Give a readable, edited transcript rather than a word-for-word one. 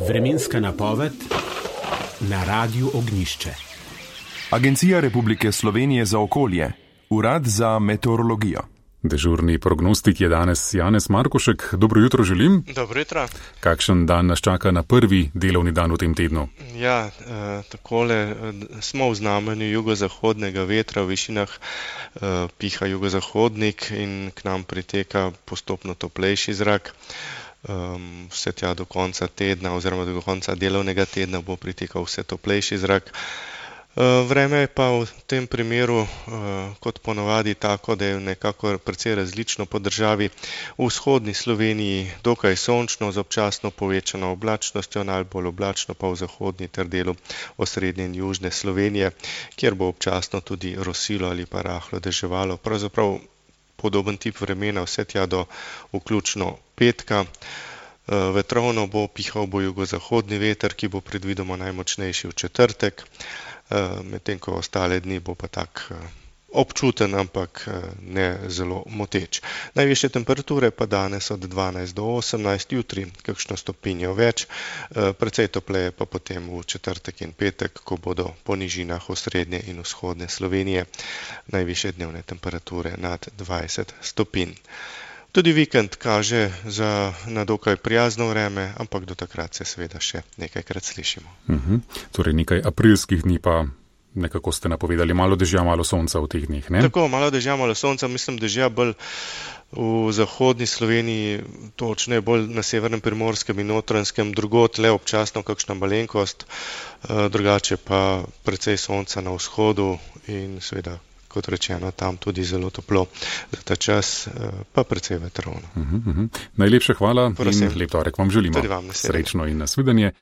Vremenska napoved na Radiu Ognjišče. Agencija Republike Slovenije za okolje, Urad za meteorologijo. Dežurni prognostik je danes Janez Markošek. Dobro jutro želim. Dobro jutro. Kakšen dan nas čaka na prvi delovni dan v tem tednu? Ja, takole smo v znamenju jugozahodnega vetra, v višinah piha jugozahodnik in k nam priteka postopno toplejši zrak. Vse tja do konca tedna oziroma do konca delovnega tedna bo pritekal vse toplejši zrak. Vreme je pa v tem primeru kot ponavadi tako, da je nekako precej različno po državi. V vzhodni Sloveniji dokaj sončno z občasno povečano oblačnostjo, najbolj oblačno pa v zahodni ter delu osrednje in južne Slovenije, kjer bo občasno tudi rosilo ali pa rahlo deževalo. Pravzaprav podoben tip vremena vse tja do vključno petka. Vetrovno bo pihal jugozahodni veter, ki bo predvidoma najmočnejši v četrtek, medtem ko ostale dni bo pa tak občuten, ampak ne zelo moteč. Najvišje temperature pa danes od 12 do 18, jutri kakšno stopinjo več, precej topleje pa potem v četrtek in petek, ko bodo po nižinah osrednje in vzhodne Slovenije najvišje dnevne temperature nad 20 stopinj. Tudi vikend kaže na dokaj prijazno vreme, ampak do takrat se seveda še nekajkrat slišimo. Torej nekaj aprilskih dni pa nekako ste napovedali, malo dežja, malo sonca v teh dneh, ne? Tako, malo dežja, malo sonca, mislim dežja bolj v zahodni Sloveniji, točneje bolj na severnem Primorskem in Notranjskem, drugod le občasno kakšna malenkost, drugače pa precej sonca na vzhodu in seveda, kot rečeno, tam tudi zelo toplo za ta čas, pa precej vetrovno. Najlepša hvala in lep torek vam želimo. Tudi vam, srečno in nasvidenje.